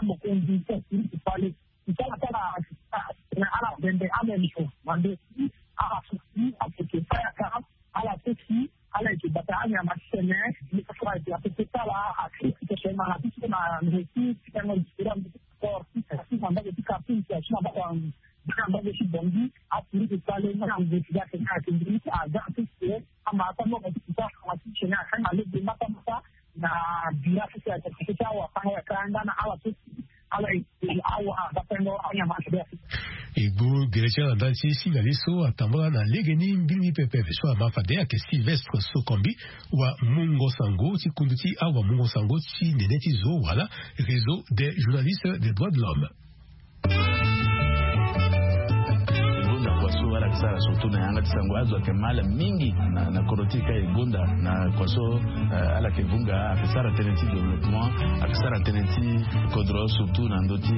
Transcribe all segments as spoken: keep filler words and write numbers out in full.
na mokonzi ti asiri ti fale. Ti ala ti ala na ala bembe amemso mande ala soki aseke fayaka ala soki ala yeke bata anyama ti tene. Ni kaka ala yeke aseke ti ala aseke ti tene na ti tene na ndresi ti tene na sport ti tene na mbage ti kartum ti asi na mbage ti bongi. Aza ti si ama ata mo ba ti kuta ama ti si ni akanga lege matamata na bira ti si ata ti awa kanga ya kanga na ala so si ala e awa aza pengo anyama ti be. E gu gere ti ala nda ti singa li so atambula na lege ni mbili ni pepe so ama fade ayeke Sylvestre Sokombi wa mungo sango ti kundu ti awa mungo sango ti nene ti zo wala Réseau des journalistes des droits de l'homme. Gonda kua so ala yeke sara surtout na yanga ti sango azo ayeke mal mingi na kodro ti e ka e gonda na kua so ala yeke vunga ayeke sara tënë ti développement ayeke sara tënë ti kodro surtout na ndö ti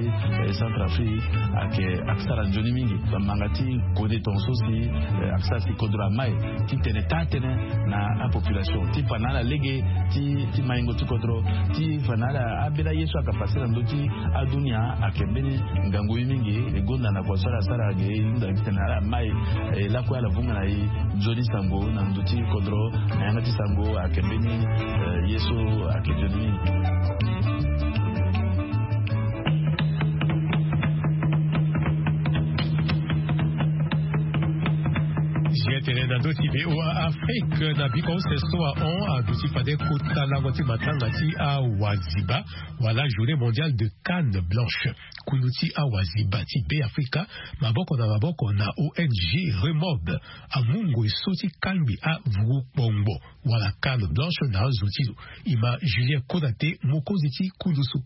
Centrafrique ayeke sara nzoni mingi. Bamanga ti kode tonga so si ayeke sara si kodro amai ti tene taa tënë na apopulation ti fa na ala lege ti maingo ti kodro ti fa na ala ambeni aye so ayeke pase na ndö ti adunia ayeke mbeni ngangu ye mingi. E gonda na kua so ala sara age e hunda titene ala mai e lakue ala vunga na e nzoni sango na ndö ti kodro na yanga ti sango ayeke mbeni ye so ayeke nzoni mingi. Zia tene na ndö ti VOA Afrique na biko use so ahon aduti fade kota lango ti matanga ti awaziba wala journée mondiale de canne blanche. Kundu ti awaziba ti Beafrika maboko na maboko na O N G Remob amu ngoi so ti kangbi avuru kpongbo wala canne blanche na azo ti lo. E ma Julien Konate mokonzi ti kundu so.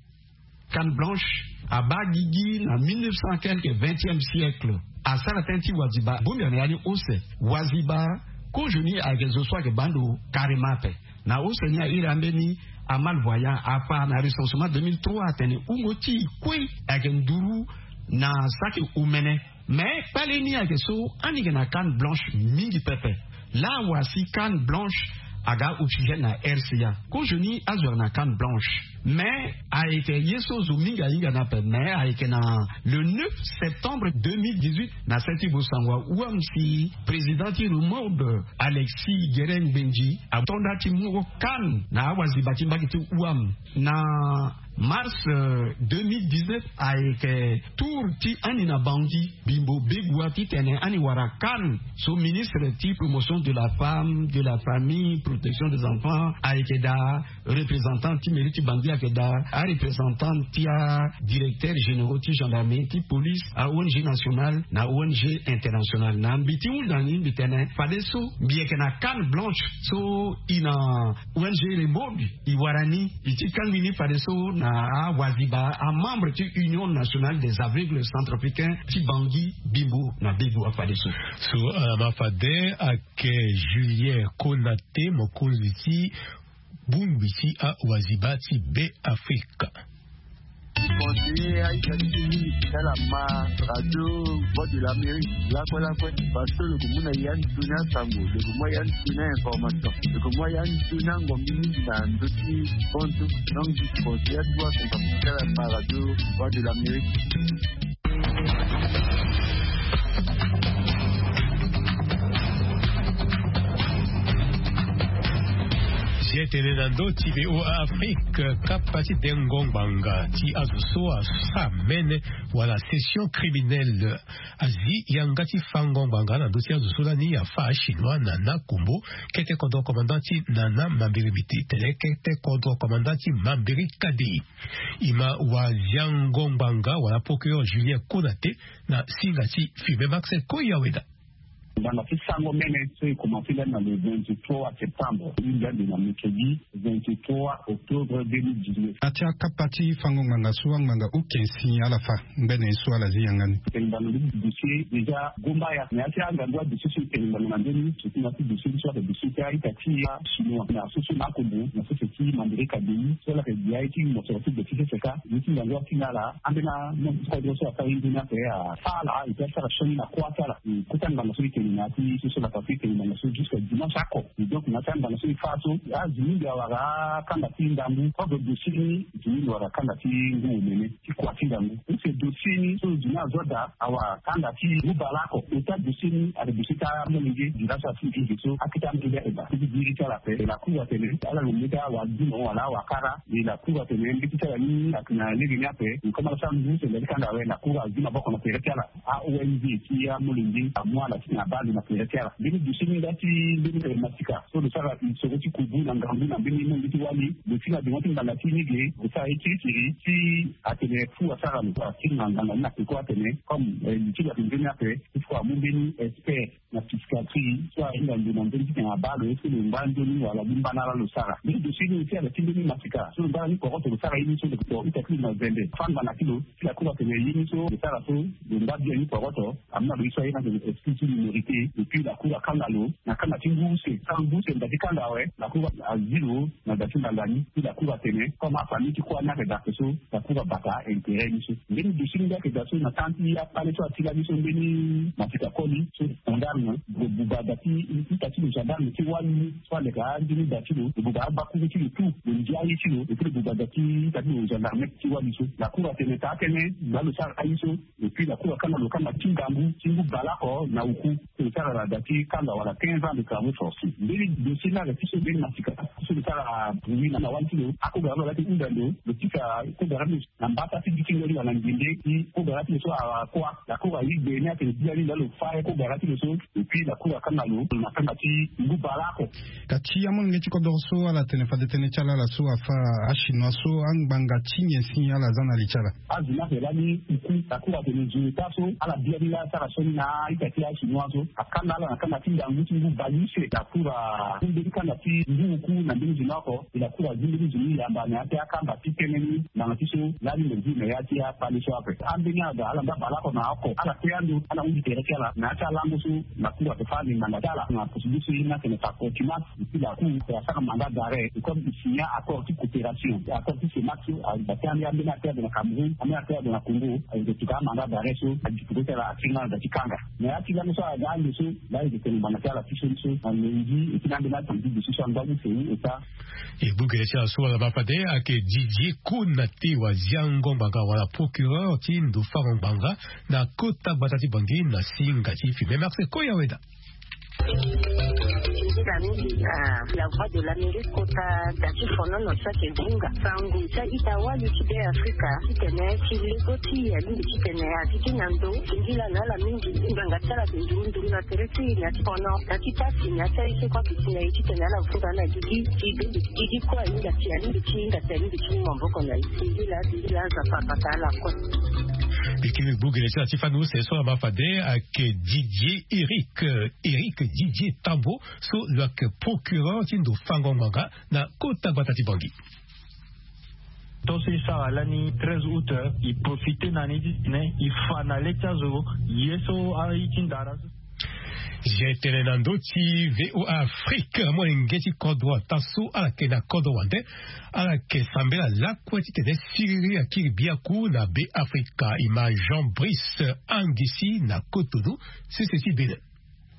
Canne blanche abaa gigi na mille neuf cent quelque vingtième siècle. Asara tënë ti waziba bongbi na ya ni use. Waziba kozo ni ayeke zo so ayeke baa ndo carrément ape. Na use ni airi ambeni amalvoyant afa na recensement deux mille trois atene wungo ti e kue ayeke nduru na saki omene. Mais kpale ni ayeke so ani yeke na canne blanche mingi pepe. Laa wa si canne blanche aga oxygène na R C A. Kozo ni azo ayeke na canne blanche. Mais ayeke ye so zo mingi ahinga ni ape mais ayeke na le neuf septembre deux mille dix-huit na se ti bosango awam si président ti Remob Alexis Guérin Ngbendji ato nda ti mu canne na awaziba ti mbage ti wam. Na mars deux mille dix-neuf ayeke tour ti ani na Bangui, Bimbo, Begoua titene ani wara canne. So ministre ti promotion de la femme, de la famille, protection des enfants ayeke daa, représentant ti mairie ti Bangui ayeke daa, areprésentant ti adirecteur généraux ti gendarmerie, ti police, a O N G nationale na O N G internationale. Na mbi ti hunda ni mbi tene fadeso mbi yeke na canne blanche so e na O N G Remob e wara ni, e ti kangbi ni fadeso na awaziba amembre ti Union nationale des aveugles centrafricains ti Bangui, Bimbo na Begoua fadeso. So ala ma fade ayeke Julien Konate mokonzi ti bongbi ti awaziba ti Beafrika. Conseiller aita ti mingi ti ala ma radio Voix de l'Amérique lakue lakue. Parce que lo ko mu na ya ni tuni asango, lo ko mu ya ni tuni a-information, lo ko mu ya ni tuni angombi mingi na ndö ti kontu. Donc je conseille atuwa tonga ti ala ma radio Voix de l'Amérique. Si e tene na ndö ti VOA Afrique, kapa ti dengo ngbanga ti azo so asara mene wala session criminelle azi yanga ti fango ngbanga na ndö ti azo so lani afa achinois Nana Kombo, kete kodro commandant ti Nana Mambiri Miti tene kete kodro commandant ti Mambiri Kadi. E ma waziango ngbanga wala procureur Julien Konate na singa ti Firmin Marcel Koyaweda. Ngbanga ti sango mene so e komanse lani na le vingt-trois septembre, e hinga ande na mercredi vingt-trois octobre deux mille dix-neuf. Atia kapa ti fango ngbanga so angbanga okensi ala fa ngbene so ala zi yanga ni. Tene ngbanga ndö ti dossier déjà gomba ya, mais atia ngangu adossier so e tene ngbanga na ndö ni surtout na ti dossier ni so ayeke dossier ti a-ita ti achinois na so so na akombo na sese ti Mambiri Kadi so ala yeke gi aye ti mosoro ti gbe ti sese ka. Ye ti ngangu atinga ala ambeni amembre ti kodro so asara ye nzoni ape afa ala et puis asara sioni na kuâ ti ala. Kota ngbanga so e tene na ya ti so so lapa so e tene ngbanga so jusqu'à dimanche oko. Et donc na ya ti angbanga so e fa so azo mingi awara akanga ti ndangu. Kodro dossier ni zo mingi wara akanga ti ngu omene ti kua ti ndangu. Use dossier ni so zo ni azo daa awara akanga ti ngu baleoko. Ota dossier ni ayeke dossier ti amolenge. Nda so asi nginze so akete amolenge ayeke baa ti gi iri ti ala ape. La cour atene ala lo mbeti awara gi mo wala awara kara. E la cour atene mbeti ti ala ni ayeke na lege ni ape. Comme ala sara ngu so e nda ti kanga awe, la cour azi maboko na tere ti ala. A-O N G ti amolenge amu ala ti na Ande na tere ti ala mbeni dossier ni nda ti mbeni masika so lo sara isoro ti kubu na ngangu na mbeni monge ti wali. Lo ti na dengo ti ngbanga ti ni ge lo sara ye kirikiri ti atene fu asara lo atinga ngbanga ni na peko atene comme li ti lo ake nzoni ape. Il faut amu mbeni expert na psychiatrie so ahinga ndo na mbeni titene abaa lo est-ce que lo ngba nzoni wala li mba na ala lo sara mbeni dossier ni aussi ala ti mbeni masika so lo ngba na ni koroto lo sara ye ni so lo ita ti lo na zende fangba na ti lo. Ti la cour atene ye ni so lo sara so lo ngba bien ni koroto. Amu na lo ye so aye na tene esprit ti minorité. Et puis la cour akanga lo na kanga ti ngu use kanga ngu use nda ti kanga awe la cour azi lo na da ti ngbanga ni. Ti la cour atene comme afamille ti kua ni ake da ape so la cour abata intérêt ni so. Mbeni dossier ni nda ake da so na temps ti apale so ati lani so mbeni masika koli so gendarme lo buba da ti ita ti lo gendarme ti wali so aleka anzoni da ti lo lo buba abakuru ti lo tout lo ndia aye ti lo et puis lo buba da ti ita ti lo gendarme ti wali so. La cour atene taa tënë nda lo sara aye so. Et puis la cour akanga lo kanga ti ngangu ti ngu baleoko na oku so lo sara na da ti kanga wala quinze ans de travaux forcés. Mbeni dossier ni ake ti so mbeni masika so lo sara bruit na wali ti lo akogara lo laa ti hunda ndo lo tisa kogara ti lo na mbata ti gi ti ngoli wala ngende ti kogara ti lo so akua. La cour ayi gbe ni atene ti lani laa lo fa ye kogara ti lo so. Et puis la cour akanga lo na kanga ti ngu baleoko. Ka ti amolenge ti kodoro so ala tene fade tënë ti ala ala so afa achinois so angbanga ti nyen si ala za na li ti ala. Azo ni ake lani uku la cour atene zo eta so ala bia ni laa asara sioni na a-ita ti achinois so akanga ala na kanga ti ngangu ti ngu baleuse la cour amu mbeni kanga ti ngu uku na mbeni zo ni oko. E la cour azi mbeni zo ni yamba na ya ti akamba ti tënë ni ngbanga ti so lani lo zi na ya ti apale so ape. Ambeni aga ala nda baleoko na oko ala kue ando ala hunzi tere ti ala na ya ti alango so la cour ape fa ande ngbanga ti ala na procédure so ye ni atene par contumace. Et puis la cour asara mandat d'arrêt et comme il signa accord ti coopération accord ti CEMAC so aza ti ande ambeni atere ade na Cameroun ambeni atere ade na Congo. Azo tuka amandat d'arrêt so adi peko ti ala atinga na da ti kanga. Na ya ti lango so aga ande so laa e tene ngbanga ti ala ti sioni so na lundi et puis na ambeni atene ti dossier so angba use ni eta. E gbu gere ti ala so wala ma fade ayeke Didier Konate waziango ngbanga wala procureur ti ndo fango ngbanga na kota gbata ti Bangui na singa ti Fimem Marcel Koya Weda. Nzila mingi na La Voix de l'Amérique kota da ti fonono so ayeke zinga sango ti a-ita wali ti Be Afrika titene ti lego ti e alingbi titene ati ti na ndo. Nzila na ala mingi ngbanga ti ala ayeke nduru nduru na tere ti e na ti fono na ti pasi na ya ti aye so kue ayeke ti na e titene ala vunga na gigi ti gigi kue ahinga ti alingbi ti hinga ti alingbi ti mu maboko na e. Nzila nzila Nzapa abata ala kue. Mbi kiri gbu gere ti ala ti fani use so ama fade ayeke Didier Eric Eric Didier Tambo so lo yeke procureur ti ndo fango ngbanga na kota gbata ti Bangui. Tonso e sara lani treize août e profite na ni titene e fa na le ti azo ye so aye ti ndara so. Zia tene na ndö ti VOA Afrique molenge ti kodro ata so ala yeke na kodro wande ala yeke sambela lakue titene siriri akiri biaku na Be Afrika e ma Jean Brice Angisi na Cotonou sese ti Bénin.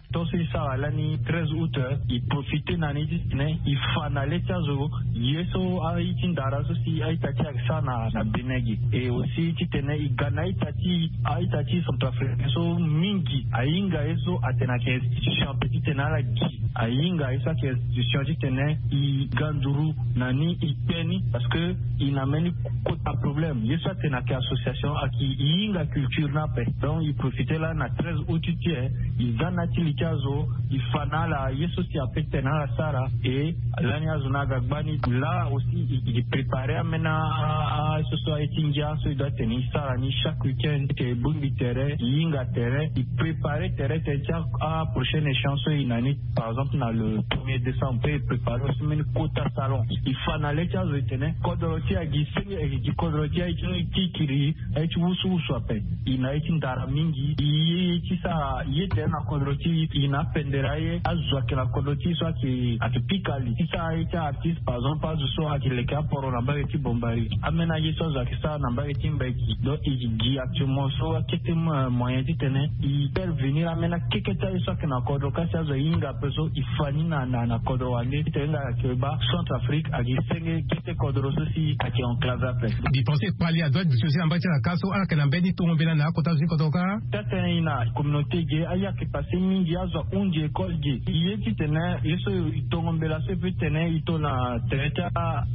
Tonso e sara lani treize août e profite na ni titene e fa na le ti azo ye so aye ti ndara so si a-ita ti e ayeke sara na Bénin ge. E aussi titene e ga na a-ita ti a-ita ti centrafricain so mingi ahinga ye so atene ayeke institution ape titene ala gi ahinga ye so ayeke institution titene e ga nduru na ni e kpe ni parce que e na mbeni kota problème ye so atene ayeke association ayeke e hinga culture ni ape. Donc e profite lani na treize août ti e e za na ya ti li ti azo e fa na ala ye so si ape tene ala sara. E lani azo ni aga gbani laa aussi e prépare ambeni a so so aye ti ngia so e doit tene e sara ni chaque week-end. E bongbi tere e hinga tere e prépare tere tene ti aprochaine échéance so e na ni. Par exemple na le premier décembre pe e prépare aussi mbeni kota salon. E fa na le ti azo e tene kodro ti e agi senge e gi kodro ti e aye ti kiri aye ti wusuwusu ape. E na aye ti ndara mingi e ye ti sara ye tere na kodro ti e e na apendere aye azo ayeke na kodro ti e so ayeke pika li ti sara aye ti artiste par exemple azo so ayeke leke aporo na mbage ti bombari ambeni aye so azo ayeke sara na mbage ti mbeki. Donc e gi actuellement so akete moyen titene e faire venir ambeni akeke ti aye so ayeke na kodro kasi azo ahinga ape so. E fa ni na na na kodro wande titene nga ayeke baa Centrafrique ayeke senge gete kodro so si ayeke enclave ape. Mbi pense kpali adoit duti aussi na mbage ti ala ka so ala yeke na mbeni tongo mbela na akota zo ti kodro kâ. Taa tënë e na communauté ge aye ayeke passe mingi azo ahunzi école ge. E ye titene ye so e tongo mbela so e peut tene e to na tene ti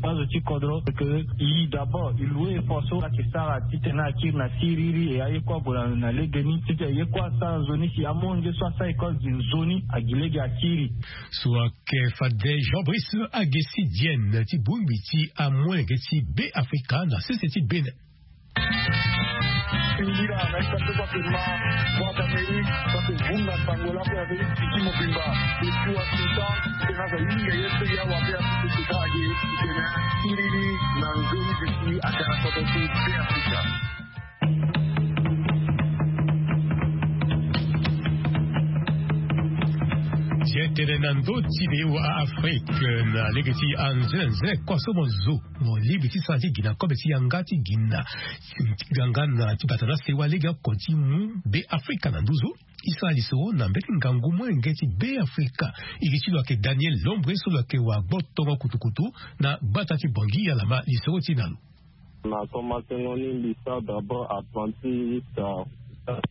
azo ti kodro ke e d'abord e loue effort so ala yeke sara titene akiri na siriri e aye kue ague na na lege ni titene aye kue asara nzoni si amolenge so asara école gi nzoni agi lege akiri. So ayeke fade Jean Brice Agesi Diene ti bongbi ti amolenge ti Be Afrika na sese ti Bénin. Ngira na esa so bake ma Boîte d'Amérique bake vunga sango lape avec Titi Mobimba. Depuis Washington tena za yinga ye so ya wabe afi tena age tena kiriri na nzoni duti atara koto ti Be Afrika. Ti tene na ndö ti le wa Afrique na lege ti anzenze kua so mo zo mo lingbi ti sara ti gi na kobe ti yanga ti gi na ganga na ti bata na sewa lege oko ti mu Be Afrika na nduzu. E sara lisoro na mbeti ngangu molenge ti Be Afrika. E gi ti lo ayeke Daniel Lombre so lo yeke wa gbotongo kutukutu na gbata ti Bangui ala ma lisoro ti na lo. Na komansengo ni mbi sara d'abord apprenti jusqu'à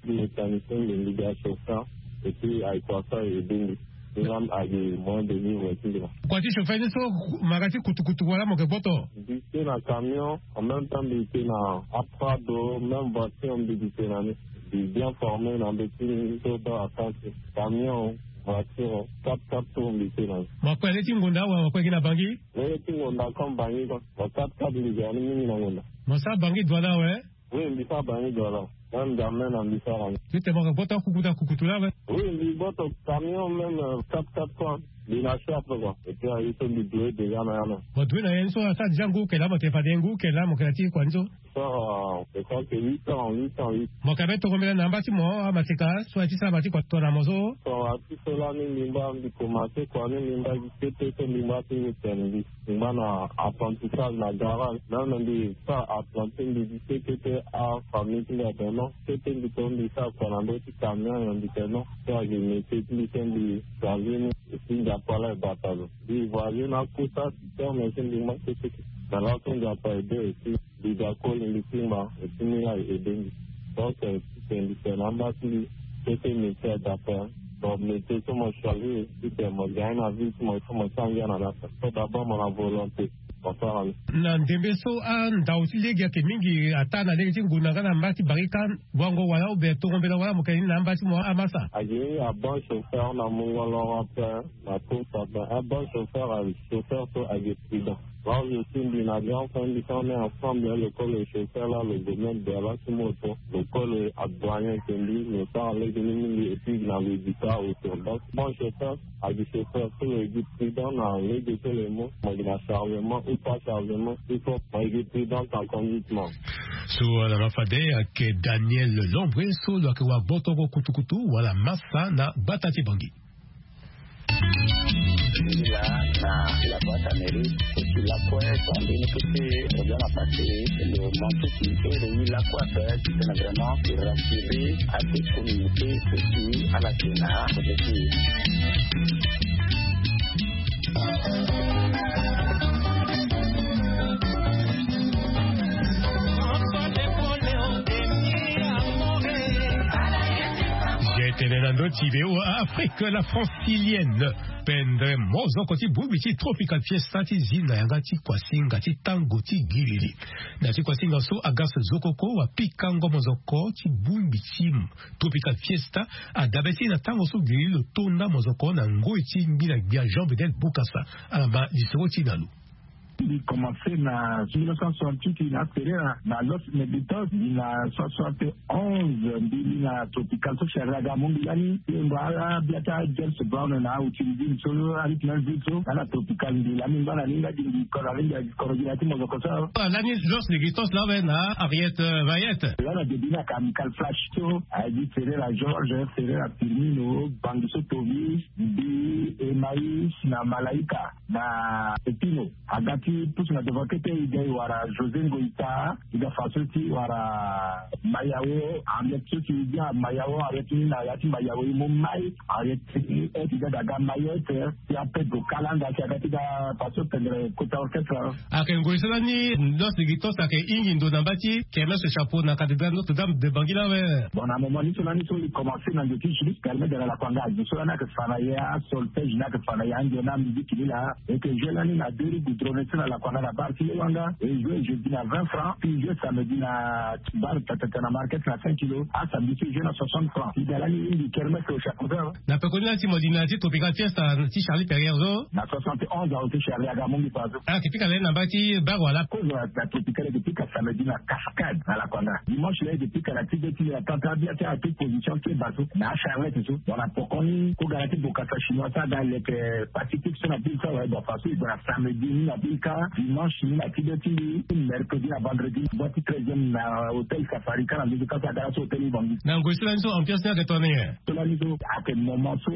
mécanicien mbi mbi ga chauffeur. Et puis ayeke wasa e aide mbi. Ni laa mbi ayeke moyen de vivre ti mbi na. Kua ti chauffeur ni so ma ga ti kutukutu wala mo yeke gboto? Mbi te na camion en même temps mbi te na aprado même voiture mbi gi te na ni. Mbi bien formé na mbeti ni so baa akansi camion voiture quatre quatre tour mbi te na ni. Mo kue le ti ngonda wala mo kue gi na Bangui? Lege ti ngonda comme Bangui quoi. Mo quatre quatre mbi ga ni mingi na ngonda. Mo sara Bangui douane awe? Oui mbi sara Bangui douane. Même jamais na mbi sara ni. Titene mo yeke gboto akukutu akukutu laa awe? Oui mbi gboto camion même quatre quatre fois. Mbi na chape quoi et puis aye so mbi doue déjà na ya na. Mo doue na ya ni so asara déjà ngu oko laa mo tene fade ngu oko laa mo yeke na ti kua ni so? Sara je crois que huit ans huit ans huit. Mo yeke be tongo mbela na amba ti mo amaseka so aye ti sara ma ti kua tongana mo so? Sara ti so laa ni mbi ngba mbi komanse kua ni mbi ngba gi kete so mbi ngba ti ngu tene mbi. Mbi ngba na apprentissage na garage même mbi sara apprenti mbi gi kete kete afamille ti mbi atene non kete mbi to mbi sara kua na ndö ti camion nyen mbi tene non. So ayeke métier ti mbi so mbi charge ni. Et puis nzapa laa e bata lo mbi voyage na akota ti terme so mbi ngba kete kete. Na laso nzapa e de aussi. Mbi ga koli mbi ti ngba et puis ni laa e aide mbi. Donc titene mbi tene na amba ti mbi kete métier adapte. Donc métier so mo choisir titene mo gagne na vie ti mo il faut mo sara ngia na ni ape. So d'abord mo na volonté mo sara ni. Na ndembe so andau ti lege ayeke mingi ataa na lege ti ngonda nga na mba ti Barika. Wango wala obe tongo mbela wala mo yeke ni na amba ti mo amasa? Ayeke ni abon chauffeur na mungo loro ape. Na course ape un bon chauffeur ayeke chauffeur so ayeke prudent. Là où je suis mbi na grand frère mbi so on est ensemble le kolo chauffeur là le domaine de la ti moto le kolo adoyen ke mbi lo sara lege ni mingi et puis na lo dika auto donc bon chauffeur ayeke chauffeur so lo yeke prudent na lege so lo ye mo mo yeke na chargement ou pas chargement il faut mo yeke prudent en conduite mo. So ala ma fade ayeke Daniel Lombre so lo yeke wa gbotoko kutukutu wala masa na gbata ti Bangui. Là na la boîte à mairie et puis la pointe en ligne que c'est bien passé le manque qui est le la quoi faire c'est vraiment rassurer à toute communauté et puis à la Sénat. Tene na ndö ti V O A Afrique la francilienne. Pendre mozoko ti bongbi ti Tropical Fiesta ti zi na yanga ti kuasinga ti tango ti giriri. Na ti kuasinga so agas zokoko wa pikango mozoko ti bongbi ti Tropical Fiesta adabe ti na tango so giriri lo tonda mozoko na ngoi ti ngbina gbia Jean Bedel Bokassa. Ala ma lisoro ti na lo. Mbi commencé na mille neuf cent soixante-huit na Ferreira na Los Negritos, mbi na soixante-onze mbi li na Tropical so Ferreira ga amu mbi lani. Mbi yongo ala bia ti James Brown na Outil Ville so arythme ville so nga na Tropical mbi lani ngba na ni nga gi mbi koro alingbi agi koro gi na ti mozoko so. Lani Los Negritos laa awe na Harriet Vayet. Laa na début ni ayeke Amical Flash so aye gi Ferreira Georges, Ferreira Firmino, Bangi so Tovi, mbi e ma Ayi si na malaika na epino aga ti pusu na devant kete, e ga e wara José Ngoita, e ga fa so ti wara Mayao, ariet so ti e ga Mayao, ariet ni na ya ti Mayao e mu mai, ariet ni e ti ga daga Mayete, ti a Pedro Kalanga ti aga ti ga fa so tendre kota orchestre. Ayeke ngoi so lani. Noce gi tosa ayeke hingi ndo na mba ti kermesse chapeau na cathédrale Notre-Dame de Bangui la awe. Bon, na moment ni so lani so e commencé na ndo ti juris permet de la lakwanga azo so lani ayeke fa na ye asolfège ni ayeke fa na ye andio na musique ni laa. E yeke jeu lani na deux rues goudronnées so na lakwanga na bar ti lewanga. E jeu jeudi na vingt francs, puis jeu samedi na bar tatata na market na cinq kilos. Asamedi so jeu na soixante francs. Ida lani mingi kermesse au chapeau. Na pekoni lani ti mo di na ti tropical fiesta ti Charlie Perrier so na soixante et onze août ti Charlie aga amongi pazo. Ayeke pika lani na mba ti bar wala? Kozo na tropical e yeke pika samedi na cascade na lakwanga. Dimanche laa e yeke pika na ti be ti na tata abia ti ato position ti e bazo na acharlette so. Bon, na pokoni ko ga na ti bokasa chinois so aga leke pacifique so na bile so awe. Bon, faso e gue na samedi ni na bile kâ, dimanche ni na ti be ti mbi, mercredi na vendredi boi ti treizième na hôtel Safari kâ na nduzu kâ so aga laso hôtel Ubangui. Na ngoi so lani so ambiance ni ayeke tongana nyen? So lani so ayeke moment so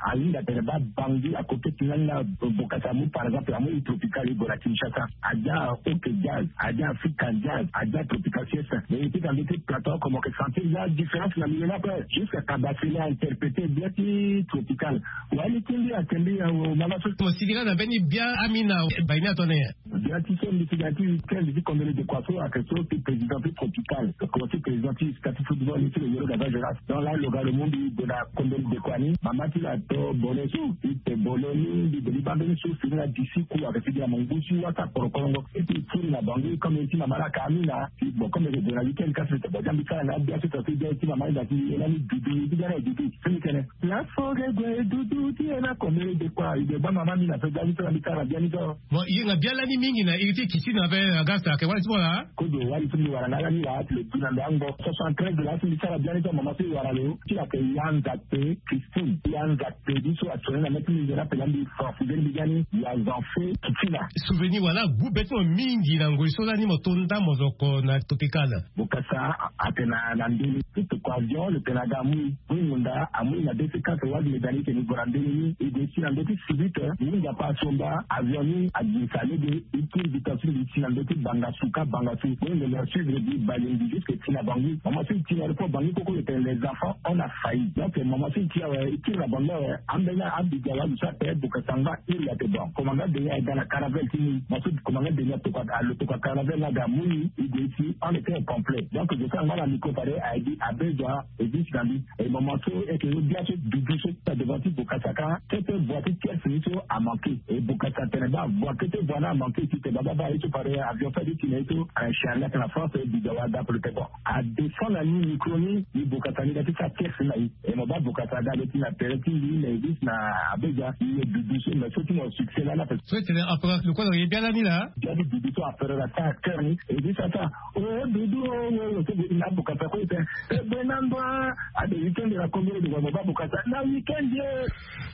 ahinga tene baa Bangui akoke ti lani laa. Bokasa amu par exemple amu île tropicale e gue na Kinshasa. Adia ok jazz, adia Africa jazz, adia tropical fiesta. Mais e ti ka mbi ti plateau oko mo yeke sentir la différence na milieu ni ape. Jusqu'à Kabasele a interpréter bien ti tropical. Wali ti mbi ayeke mbi awo mama so. Mo sigi laa na mbeni bia amina. Bai ni atone nyen? Bia ti so mbi ti ga ti week-end ti combele de kua so ayeke so ti président ti tropical. Oko ti président ti sta ti football ni ti lo yoro gaza geras. Donc laa lo ga lo mu mbi gue na combele de kua ni. Mama ti lo ato bole so. E te bole ni mbi gue mbi baa mbeni so si ni na disi ku ayeke sigi na mo ngu ti wasa korokorongo. E ti e kiri na bango comme e ti mama laa ka amina. Bon, comme e gue na week-end kasi e te bon dia mbi sara na abia so ta so e dia e ti mama ni da ti e lani dudu e ti ga na e dudu. Fini tene. Lafo ge gue dudu ti e na combele de kua e gue baa mama ni na so dia ni so na mbi sara na bia ni so. Bon, e hinga bia lani mingi na iri ti kitchen ape. Agasta ayeke wali ti mo laa? Kozo wali so mbi wara na ala ni laa ti lo du na ndo ango soixante-treize laa so mbi sara bia ni so mama so e wara lo ti lo ayeke ya nzakpe Christine. Ya nzakpe ni so atene na mê ti mbi nzoni ape laa mbi forfide mbi ga ni ya zanfe kitina. Souvenir wala gbu be ti mo mingi na ngoi so lani mo to ndambo zo oko na tropical? Bokasa atene na ndeni. Lo tokua avion lo tene aga amui. Mui munda amui na deux cent quatre wali medani tene e gue na ndeni ni e gue si na ndö ti sibite. Ni nzapa asomba avion ni agirisa lege. E kiri bita so e gi si na ndö ti bangasuka bangasu. Boi ndembe asuivre bi balembi jusque ti na bangui. Mama so e ti na aéroport bangui koko lo tene les enfants on a failli. Donc mama so e ti awe e kiri na bangui awe. Ambeni abiga wali so ape bokasa ngba iri ate bon komanga deni aye ga na caravelle ti ni. Mama so komanga deni atokua alo tokua caravelle ni aga amui e gue si on était au complet. Donc zo so angba na micro fade aye gi abezua. E gi si na mbi. E mama so e yeke yo bia so dudu so na devant ti bokasa kâ. Kete bua ti tierce ni so amanke. E bokasa tene baa bua kete bua ni amanke ti te baba baa ye so fade avion so adi ti na ye so. Charlie ayeke na France e biga wa dape lo te bon. Adescend na ni micro ni. Ni bokasa ni ga ti sara tierce ni na ye. E mo baa bokasa aga lo ti na tere ti mbi na e gi si na abezua. Ni ye dudu so mais so ti mo succès lani ape. So e tene apre lo kue lo ye bia lani laa. Bia ti dudu so apre la sara acteur ni e gi sara sara. O dudu o o o so bodi na abokasa kue ete. E be na ndo a ade weekend na kongolo de wa mo ba abokasa na weekend ye.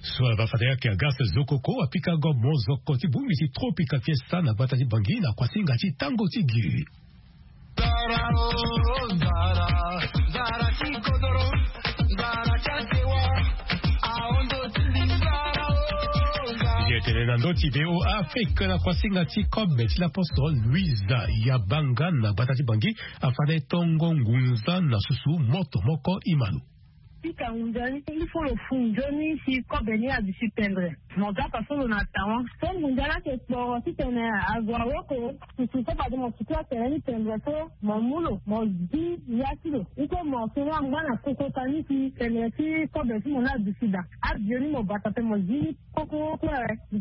So ala ba fade ayeke agas zo koko apika go mo zo oko ti bongbi ti tropical fiesta na gbata ti bangi na kuasinga ti tango ti gi. Zara o zara zara ti kodoro. Zara ti asewa. Aondo ti mbi zara o zara. Ye tene na ndo ti V O A Afrique na kuasinga ti kobe ti lapostol Louisa Yabanga na gbata ti bangi. Afade tongo ngunza na susu moto moko imalo. Pika ngunza ni il faut lo fu nzoni si kobe ni aduti pendre. Mo ga pa so lo na tawa so ngunza ni ake kporo titene azo awoko. Susu so bade mo sutu atene ni pendre so mo mu lo mo zi ya ti lo. Iko mo soni angba na kokota ni si pendre ti kobe ti mo ni aduti daa. Abio ni mo bata pe mo zi ni. Koko kue.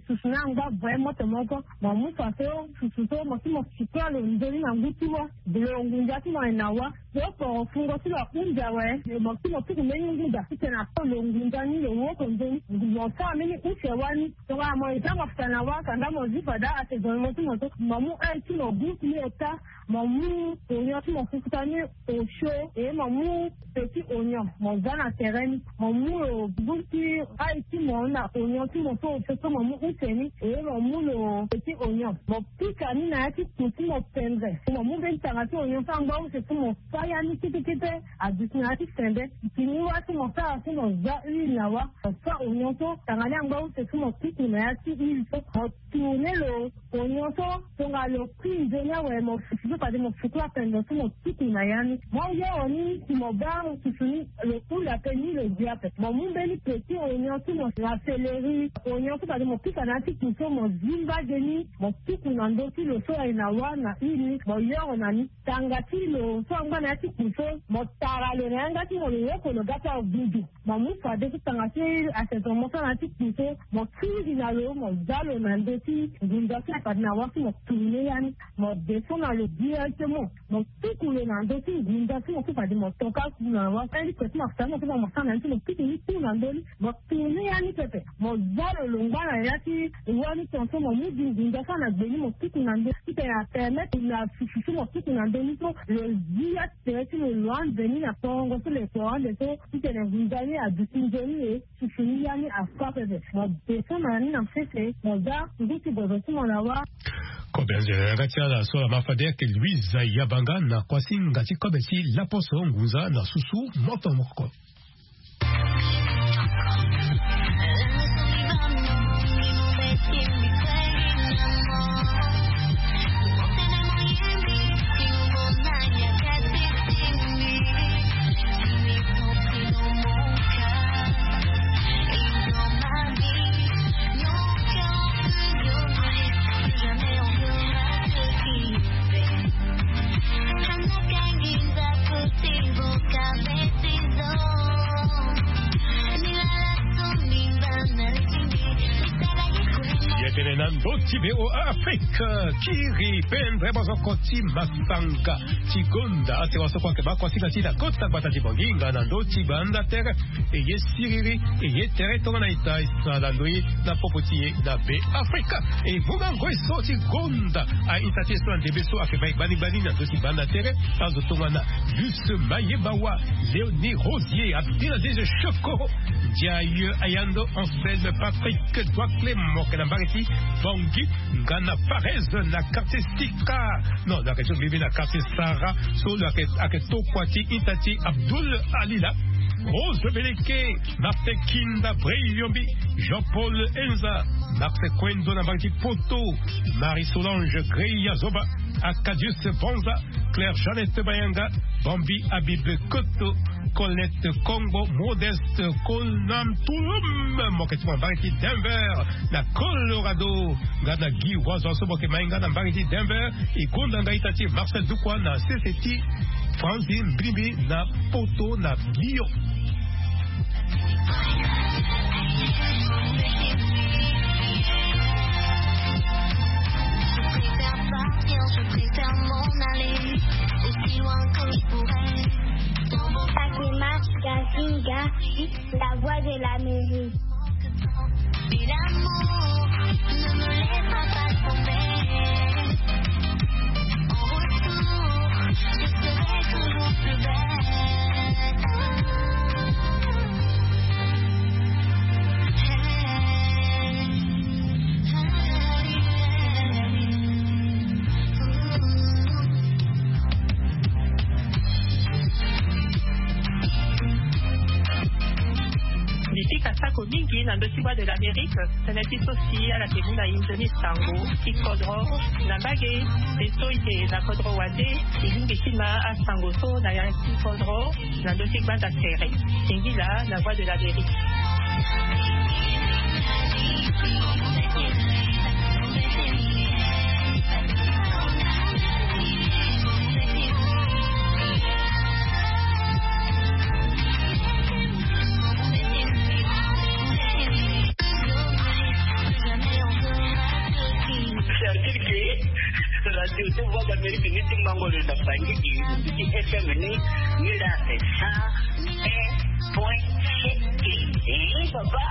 Susu ni angba voye moto moko. Mo mu fa so susu so mo si mo sikua lo nzoni na ngu ti wa. Lo ngunza ti mo aye na wa. Lo poro fungo ti lo ahunda awe. Mo si mo tuku mbeni ngu daa titene apo lo ngunza ni lo woko nzoni. Mo sara mbeni use wani. Tongana mo eza mo fita na wa kanda mo zi fada ate zo ni mo ti mo so mo mu aye ti mo gu ti ni eta. Mo mu onyon ti mo fufuta ni osio. E mo mu petit onyon mo za na tere ni. Mo mu lo gu ti aye ti mo na onyon ti mo so osio so mo mu use ni. E mo mu lo petit onyon mo pika ni na ya ti ku ti mo pendre. Mo mu mbeni tanga ti onyon so angba use so mo fa ya ni kete kete. Aduti na ya ti sende. Ti ni wa. So mo sara so mo za huile na wa, mo fa oignon so tanga ni angba use so mo tuku na ya ti huile so, mo tourner lo oignon so, tongana lo kui nzoni awe, mo susu so fade mo suku ape ndo so mo tuku na ya ni. Mo yoro ni si mo baa mo susu ni, lo hula ape ni lo gi ape. Mo mu mbeni petit oignon so mo na céleri, oignon so fade mo pika na ya ti ku so mo zi mbage ni, mo tuku na ndö ti lo so aye na wa na huile ni, mo yoro na ni. Tanga ti lo so angba na ya ti ku so, mo tara lo na yanga ti mo, lo yoko lo ga ti agudu. Mo mu fade so tanga ti assaisonnement so na ya ti ku so, mo kiri na lo, mo za lo na ndö ti ngunza so fade na wa so mo tourner ya ni. Mo descend na lo directement, mo tuku lo na ndö ti ngunza so mo so fade mo toka na wa. Mbeni kue so mo fa na ni so mo sara na ni so mo tuku ni tout na ndö ni. Mo tourner ya ni pepe, mo za lo longba na ya ti wa ni tongaso, mo mu gi ngunza so na gbe ni mo tuku na ndö. Titene apermettre na susu so mo tuku na ndö ni so lo zi ya ti tere ti lo, lo ande ni na tongo so lo eko ande so, titene ngunza ni aduti nzoni e, susu ni ya ni afa pepe. Mo descend na ni na sese, mo za ngu ti bozo ti mo na wa. Kobe anzere yanga ti ala so ala ma fade ayeke Louise Yabanga na kuasinga ti kobe ti laposo ngunza na susu moto moko. Ye tene na ndö ti VOA Afrique, kiri pendre bozoko ti masanga ti gonda. Ate wa so kue ayeke baa kuasinga ti na kota gbata ti Bongi nga na ndö ti gbanda tere. E ye siriri, e ye tere tongana ita e sara na ndö ye na popo ti e na Be Afrika. E ngonga ngoi so ti gonda a-ita ti e so na ndembe so ayeke baa e gbani gbani na ndö ti gbanda tere. Azo tongana Luce Mayebawa, Léonie Rosier, Abdelaziz Choko, Ndiaye Ayando, Anselme Patrick, Doit Clément, ke na mbage ti Bangui, nga na Parese na quartier Sika. Non, lo yeke so mbibi na quartier Sara, so lo yeke, ayeke tokua ti ita ti Abdoul Alila. Rose Beleke, Martin Kinda, Brey Yombi, Jean-Paul Enza, Martin Kwendo na mbage ti Poto, Marie Solange Greya Zoba, Acadius Banza, Claire Jeannette Bayanga, Bambi Habib Koto, Colette Kongo, Modeste Konam Tulum, mo yeke ti mo na mbage ti Denver na Colorado, nga na Guy Wazo so mo yeke ma ye nga na mbage ti Denver. E gonda nga ita ti Marcel Dukwa na sese ti Franzi Mbirimbiri na Poto na Lyon. Fatima Gazinga, la voix de l'Amérique. Et l'amour ne me laissera pas tomber. En retour, je serai toujours plus belle. Mbi pika sako mingi na ndö ti Voix de l'Amérique, tënë ti so si ala yeke mu na e nzoni sango ti kodro na mbage. Mpe so e yeke na kodro wande, e lingbi ti ma asango so na ya ti kodro na ndö ti gbanda tere. Singila na Voix de l'Amérique. Certitude ke radio ti Voix d'Amérique ni ti mango lo na Bangui, ti F M ni, ni la sa un point sept. Eh, papa.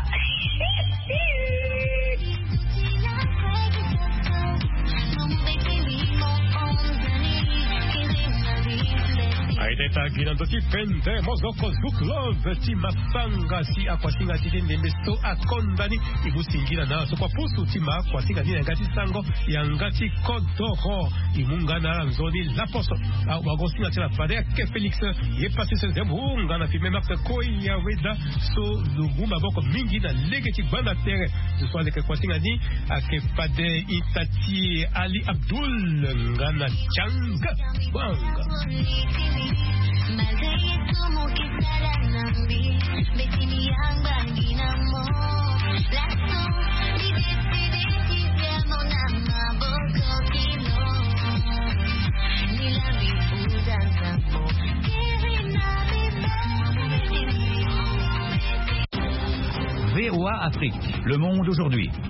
Aye, Eta gi na ndö ti pende mozoko zuklove ti masanga si akuasinga ti ti ndembe so akonda ni. E mu singila na so kua pusu ti ma akuasinga ni na yanga ti sango yanga ti kodoro. E mu nga na ala nzoni laposo. Awagosinga ti la fade ake Félix. Ye pasi se nzembo nga na filme Max Koya Weda. So lo mu maboko mingi na lege ti gbanda tere. Zo so aleke kuasinga ni ake fade ita ti Ali Abdul nga na Chang Wang. V O A Afrique, le monde aujourd'hui.